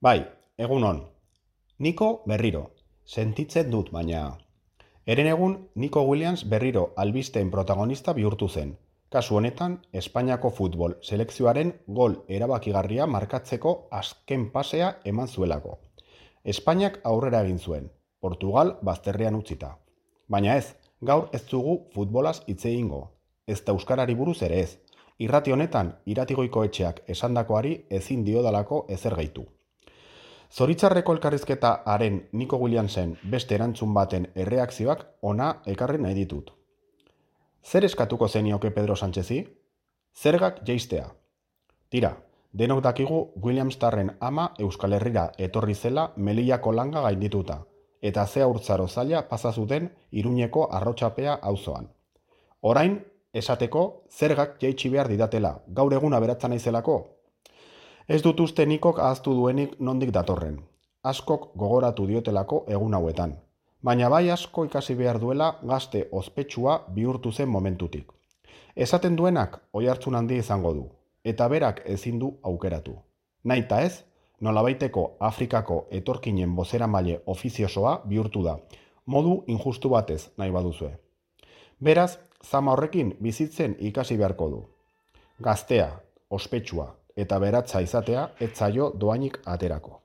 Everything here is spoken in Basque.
Bai, egunon. Niko berriro. Sentitzen dut, baina. Herenegun, Nico Williams berriro albisteen protagonista bihurtu zen. Kasu honetan, Espainiako futbol selekzioaren gol erabakigarria markatzeko azken pasea eman zuelako. Espainiak aurrera egin zuen, Portugal bazterrean utzita. Baina ez, gaur ez dugu futbolaz hitz egingo. Ez da euskarari buruz ere ez. Irrati honetan, iratigoiko etxeak esandakoari ezin diodalako ezer gehitu. Zoritzarreko elkarrizketa haren Nico Williamsen beste erantzun baten erreakzioak ona ekarri nahi ditut. Zer eskatuko zenioke Pedro Sánchezi? Zergak jeistea. Tira, denok dakigu Williamstarren ama Euskal Herrira etorri zela Melillako langa gaindituta, eta ze haurtzaro zaila pasa zuten Iruñeko arrotxapea auzoan. Orain, esateko, zergak jaitsi behar didatela, gaur egun aberatza naizelako? Ez dut uste Nikok ahaztu duenik nondik datorren. Askok gogoratu diotelako egun hauetan. Baina bai asko ikasi behar duela gazte ospetsua bihurtu zen momentutik. Esaten duenak oihartzun handi izango du, eta berak ezin du aukeratu. Naita ez, nolabaiteko Afrikako etorkinen bozeramaile ofiziosoa bihurtu da, modu injustu batez nahi baduzue. Beraz, zama horrekin bizitzen ikasi beharko du. Gaztea, ospetsua eta beratza izatea ez zaio dohainik aterako.